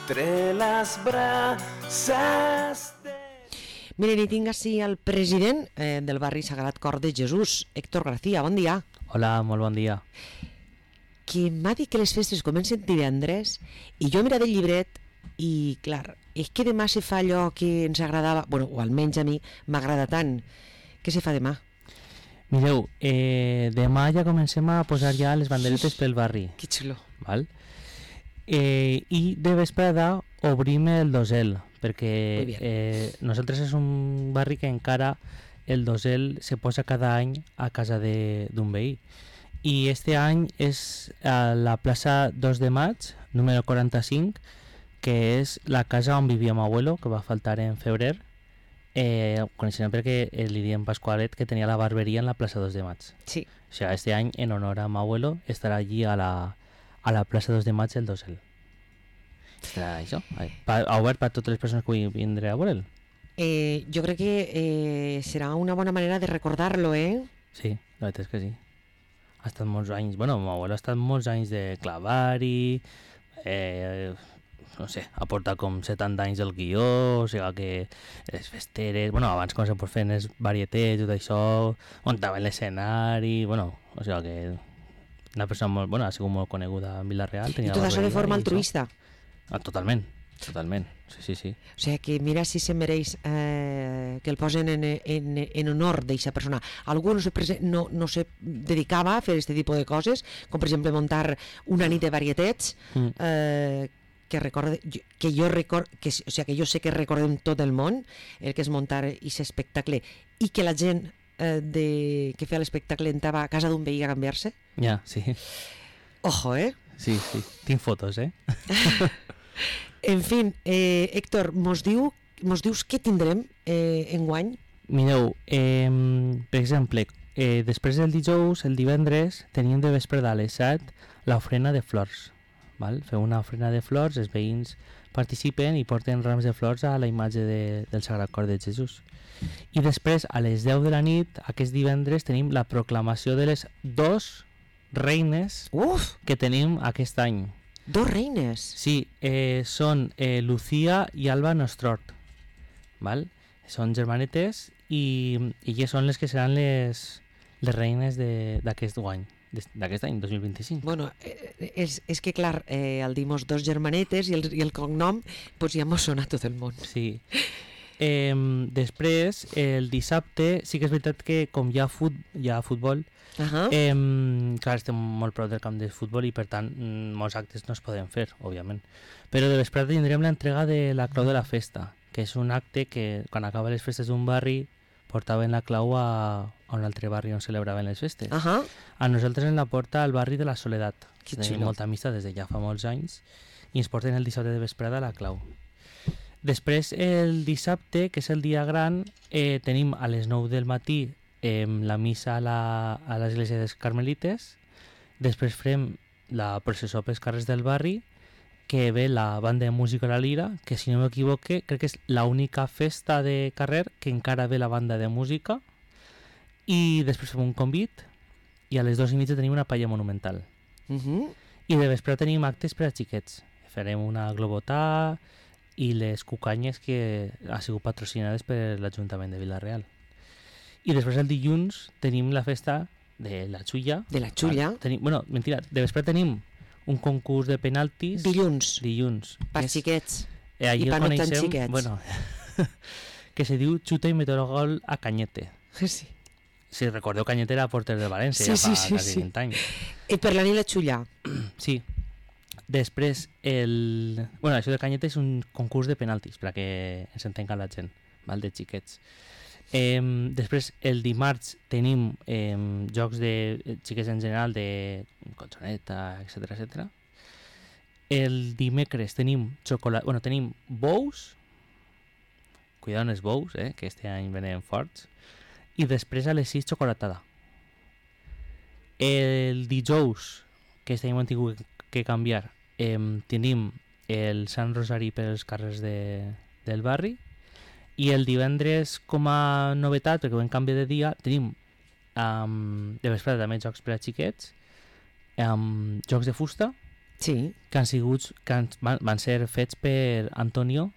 entre las brasas de... Miren, i tinc així el president del barri Sagrat Cor de Jesús, Héctor García, bon dia. Hola, molt bon dia. Que m'ha dit que les festes comencen divendres i jo he mirat el llibret i, clar, és que demà se fa allò que ens agradava, bueno, o almenys a mi m'agrada tant. Què se fa demà? Mireu, demà ja comencem a posar ja les banderetes pel barri. Que xulo. Val? I de vesprada obrim el dosel, perquè nosaltres és un barri que encara el dosel se posa cada any a casa d'un veí. I este any és a la plaça 2 de maig, número 45, que és la casa on vivia m'abuelo, que va faltar en febrer. Coneixem perquè li diem Pasqualet, que tenia la barberia en la plaça 2 de maig. Sí. O sea, este any, en honor a m'abuelo, estarà allí a la plaça 2 de maig el dosel. Estarà això, obert per totes les persones que vull vindre a veure'l. Jo crec que serà una bona manera de recordar-lo, Sí, la veritat és que sí. Ha estat molts anys, bueno, m'abuelo ha estat molts anys de clavar-hi, no sé, ha portat com 70 anys el guió, o sigui que les festeres, bueno, abans com se pot fer els varietets, tot això, muntaven l'escenari, bueno, o sigui que una persona molt, bueno, ha sigut molt coneguda en Vila-real. I tot això de forma altruista. Totalment, sí. O sigui que mira si se mereix que el posen en honor d'aquesta persona. Algú no se dedicava a fer aquest tipus de coses, com per exemple muntar una nit de varietets, que jo sé que recordem tot el món el que és muntar aquest espectacle i que la gent que feia l'espectacle entrava a casa d'un veí a canviar-se. Ja, sí. Ojo, Sí, tinc fotos, En fi, Héctor, mos dius què tindrem enguany? Mireu, per exemple, després del dijous, el divendres, tenim de vesprada a les 7 l'ofrena de flors. Val? Feu una ofrena de flors, els veïns participen i porten rams de flors a la imatge del Sagrat Cor de Jesús. I després, a les 10 de la nit, aquest divendres, tenim la proclamació de les 2 reines que tenim aquest any. 2 reines? Sí, són Lucía i Alba Nostrort. Val? Són germanetes i elles són les que seran les reines d'aquest any, 2025. Bueno, és que clar, al dir-nos 2 germanetes i el cognom, doncs ja mos sona tot el món. Sí. Després, el dissabte, sí que és veritat que com hi ha futbol, clar, estem molt prop del camp de futbol i per tant molts actes no es poden fer, òbviament. Però de vesprada tindrem l'entrega de la clau de la festa, que és un acte que quan acaba les festes d'un barri portaven la clau a un altre barri on celebraven les festes. A nosaltres ens la porta al barri de la Soledat. Tenim molta amistat des de ja fa molts anys i ens porten el dissabte de vesprada la clau. Després, el dissabte, que és el dia gran, tenim a les 9 del matí la missa a l'església dels Carmelites. Després farem la processó pels carrers del barri, que ve la banda de música La Lira, que si no m'equivoque, crec que és l'única festa de carrer que encara ve la banda de música. I després fem un convit i a les 2:30 tenim una palla monumental. I de vespre tenim actes per a xiquets. Farem una globotà i les cucanyes que ha sigut patrocinades per l'Ajuntament de Vila-real. I després el dilluns tenim la festa de la Xulla. De la Xulla? Bueno, mentira, de vespre tenim un concurs de penaltis. Dilluns. Per xiquets. I per no tan xiquets. Bueno, que se diu xuta i meter gol a Cañete. Sí. Si recordeu, Cañete era porter de València fa quasi 20 anys. I per la nit la Xulla. Sí. Després, bueno, això de Cañete és un concurs de penaltis, perquè ens entenga la gent, val, de xiquets. Després, el dimarts tenim jocs de xiquets en general, de colxoneta, etc. El dimecres tenim tenim bous, cuidado amb els bous, que este any venen forts, i després a les 6 xocolatada. El dijous, que este any hem tingut que canviar, tenim el Sant Rosari pels carrers del barri, i el divendres, com a novetat, perquè ho hem canviat de dia, tenim de vesprada també jocs per a xiquets, jocs de fusta Sí. Van ser fets per Antonio.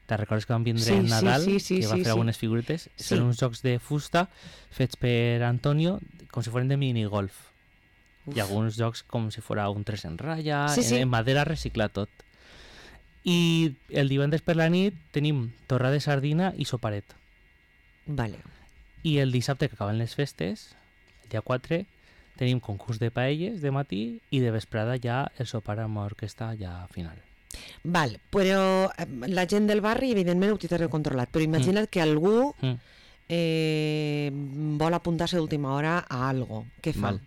Te'n recordes que van vindre en Nadal, que va fer algunes figurites? Són uns jocs de fusta fets per Antonio, com si foren de minigolf. I alguns jocs com si fos un 3 en ratlla, en madera reciclat tot. I el divendres per la nit tenim torra de sardina i soparet. Vale. I el dissabte, que acaben les festes, el dia 4, tenim concurs de paelles de matí i de vesprada ja el sopar amb orquestra ja final. Val, però la gent del barri evidentment ho tindrà controlat, però imagina't que algú vol apuntar-se d'última hora a algo. Què fa? Val.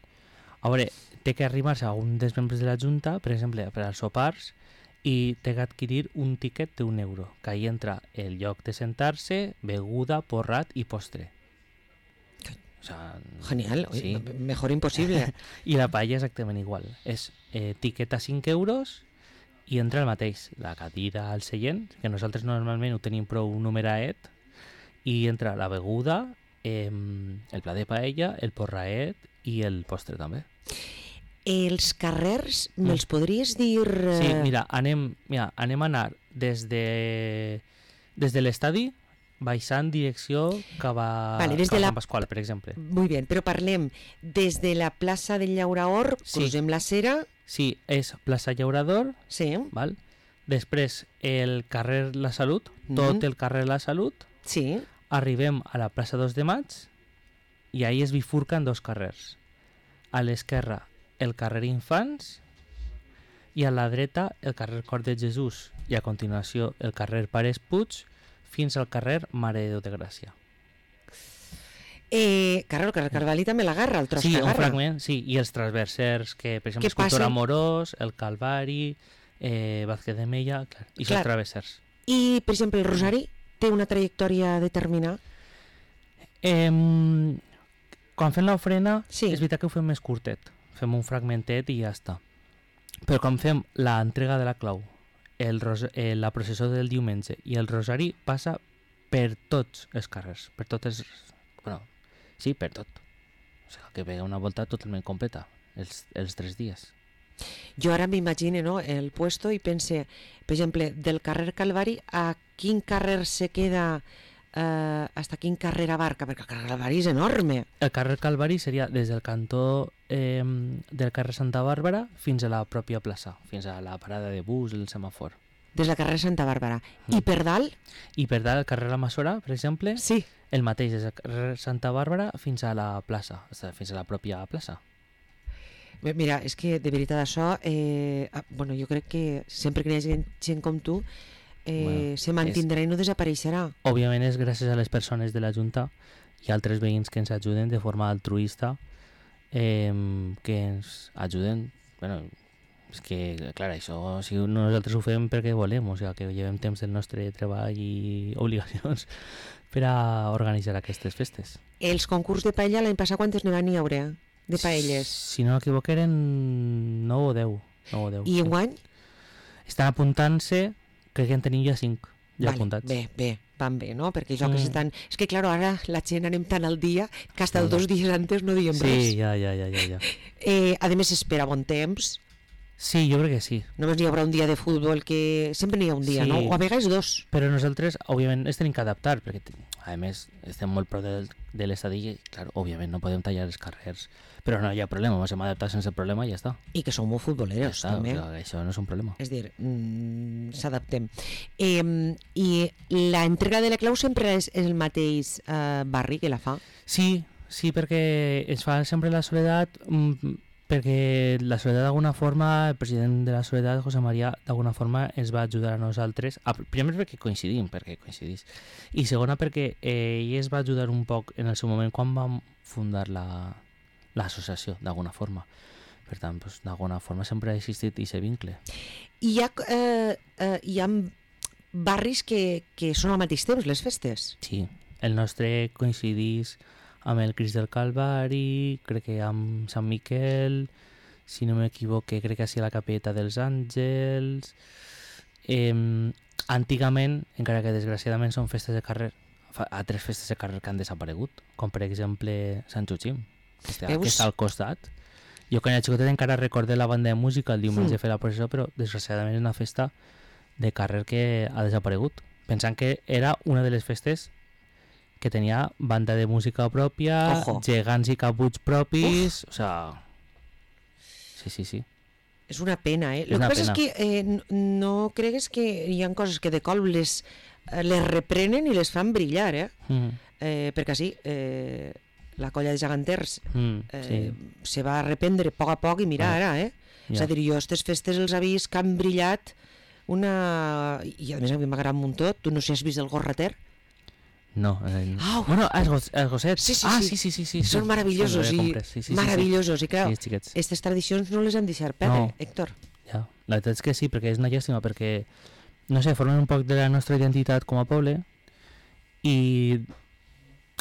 A veure, té que arribar-se a un dels membres de la Junta, per exemple, per als sopars, i té que adquirir un tiquet d'€1, que ahí entra el lloc de sentar-se, beguda, porrat i postre. O sea, genial, sí. Mejor imposible. I la paella exactament igual. És tiquet a €5 i entra el mateix, la cadira al seient, que nosaltres normalment ho tenim prou numeraet, i entra la beguda, el plat de paella, el porraet i el postre també. Els carrers, me'ls podries dir... Sí, mira, anem a anar des de l'estadi, baixant direcció cap a Sant Pasqual, per exemple. Muy bien, però parlem des de la plaça del Llauraor, cruzem la Cera... Sí, és plaça Llaurador, val? Després el carrer La Salut, tot el carrer La Salut, arribem a la plaça 2 de Maig i ahí es bifurquen dos carrers. A l'esquerra el carrer Infants i a la dreta el carrer Cor de Jesús i a continuació el carrer Pares Puig fins al carrer Mare de Déu de Gràcia. Claro, el carrer Calvari també l'agarra, el tros que agarra. Sí, un fragment, sí, i els transversers, que per exemple Escultor Amorós, el Calvari, Vázquez de Mella, i són travessers. I, per exemple, el Rosari té una trajectòria determinada? Quan fem l'ofrena, és veritat que ho fem més curtet. Fem un fragmentet i ja està. Però quan fem l'entrega de la clau, la processó del diumenge i el Rosari passa per tots els carrers, per totes... Bueno, sí, per tot. O sigui, que ve una volta totalment completa, els 3 dies. Jo ara m'imagino, no, el puesto i pense, per exemple, del carrer Calvari a quin carrer se queda, hasta quin carrer abarca, perquè el carrer Calvari és enorme. El carrer Calvari seria des del cantó del carrer Santa Bàrbara fins a la pròpia plaça, fins a la parada de bus, el semàfor. Des del carrer Santa Bàrbara. I per dalt? I per dalt, el carrer La Massora, per exemple, el mateix, des del carrer Santa Bàrbara fins a la plaça, fins a la pròpia plaça. Mira, és que de veritat això, bueno, jo crec que sempre que hi ha gent com tu, se mantindrà i no desapareixerà. Òbviament és gràcies a les persones de la Junta i altres veïns que ens ajuden de forma altruista, que ens ajuden, bueno, és que, clar, això si nosaltres ho fem perquè volem, o sigui, que llevem temps del nostre treball i obligacions per a organitzar aquestes festes. Els concurs de paella l'any passat quantes n'hi van haure de paelles? Si no m'equivoco eren 9 o 10. I enguany? Estan apuntant-se, crec que en tenim ja 5 ja apuntats. Bé, van bé, no? Perquè jo que s'estan... És que, clar, ara la gent anem tan al dia que hasta 2 dies antes no diem res. Sí, ja. A més, espera bon temps. Sí, jo crec que sí. Només n'hi haurà un dia de futbol, que sempre n'hi ha un dia, no? O a vegades 2. Però nosaltres, òbviament, ens tenim que adaptar, perquè, a més, estem molt prop de l'estadi i, clar, òbviament, no podem tallar els carrers. Però no hi ha problema, ens hem adaptat sense problema i ja està. I que som molt futboleros, ja està, també. O sigui, això no és un problema. És dir, s'adaptem. I l'entrega de la clau sempre és el mateix barri que la fa? Sí, perquè es fa sempre la Soledat... perquè la Soledat d'alguna forma, el president de la Soledat, José María, d'alguna forma ens va ajudar a nosaltres, primer perquè coincidís, i segona perquè ell es va ajudar un poc en el seu moment quan vam fundar l'associació, d'alguna forma. Per tant, doncs, d'alguna forma sempre ha existit aquest vincle. Hi ha barris que són al mateix temps, les festes? Sí, el nostre coincidís amb el Crist del Calvari, crec que amb Sant Miquel, si no m'equivoque, crec que ha sigut la Capelleta dels Àngels. Antigament, encara que desgraciadament són festes de carrer, altres festes de carrer que han desaparegut, com per exemple Sant Joachim, que està al costat, Jo quan era xicotet encara recordé la banda de música el diumenge fer la processó, però desgraciadament és una festa de carrer que ha desaparegut. Pensant que era una de les festes que tenia banda de música pròpia, gegants i caputs propis, o sea... Sí. És una pena, eh? El que passa és que no cregues que hi ha coses que de cop les reprenen i les fan brillar, eh? Perquè sí, la colla de geganters se va reprendre a poc i mira ara, eh? És a dir, jo aquestes festes els he vist que han brillat i a més a mi m'agrada un muntó. Tu no sé si has vist el Gorrater? No. Bueno, els gossets. Sí. Són meravellosos meravellosos. I clar, aquestes tradicions no les han deixat perdre, Héctor. Ja, la veritat és que sí, perquè és una llàstima, perquè, no sé, formen un poc de la nostra identitat com a poble i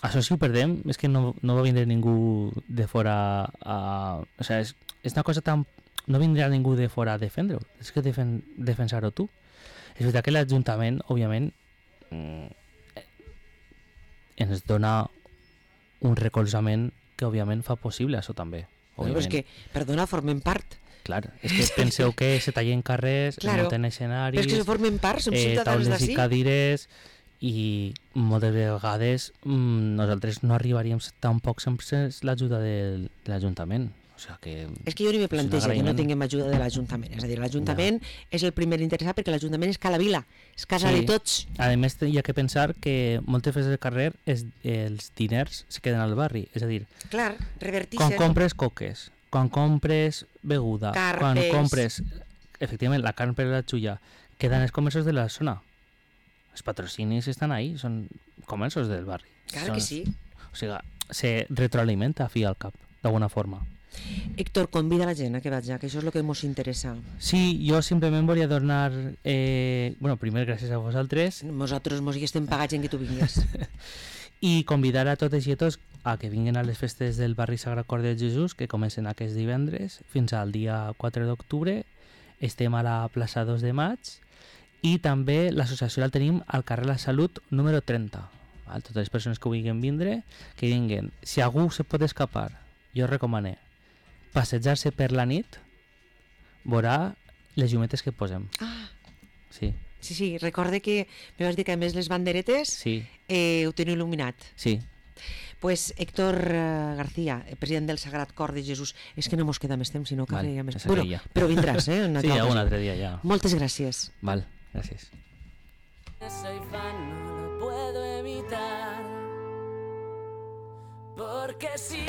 això si ho perdem és que no va vindre ningú de fora o sigui, és una cosa tan... No vindrà ningú de fora a defendre-ho, és que defensar-ho tu. És veritat que l'Ajuntament, òbviament, ens dona un recolzament que òbviament fa possible això també. Però és que, perdona, formem part. Clar, és que penseu que se tallen carrers, es munten escenaris, però és que se formen part, som ciutadans d'ací. Taules i cadires, i moltes vegades nosaltres no arribaríem tampoc sense l'ajuda de l'Ajuntament. O sigui que és que jo ni me planteja que no tinguem ajuda de l'Ajuntament. És a dir, l'Ajuntament és el primer interessat perquè l'Ajuntament és Cala Vila, és casa de tots. A més, hi ha que pensar que moltes festes del carrer els diners se queden al barri. És a dir, quan compres coques, quan compres beguda, quan compres, efectivament, la carn per la xulla, queden els comerços de la zona. Els patrocinis estan ahí, són comerços del barri. Clar que sí. O sigui, se retroalimenta a fi al cap, d'alguna forma. Héctor, convida la gent a que vaig, que això és el que ens interessa. Sí, jo simplement volia donar... bueno, primer gràcies a vosaltres. Nosaltres mos hi estem pagats en que tu vingues. I convidar a totes i a tots a que vinguin a les festes del barri Sagrat Cor de Jesús, que comencen aquest divendres fins al dia 4 d'octubre. Estem a la plaça 2 de maig i també l'associació la tenim al carrer La Salut número 30. Totes les persones que vulguin vindre, que vinguen. Si algú se pot escapar, jo recomano passejar-se per la nit, veurà les llumetes que posem. Sí, recorde que me vas dir que a més les banderetes ho teniu il·luminat. Sí. Pues Héctor García, president del Sagrat Cor de Jesús, és que no mos queda més temps, sinó que més... Bueno, però vindràs, sí, algun altre dia ja. Moltes gràcies. Val, gràcies. Soy fan, no lo puedo evitar, porque sí.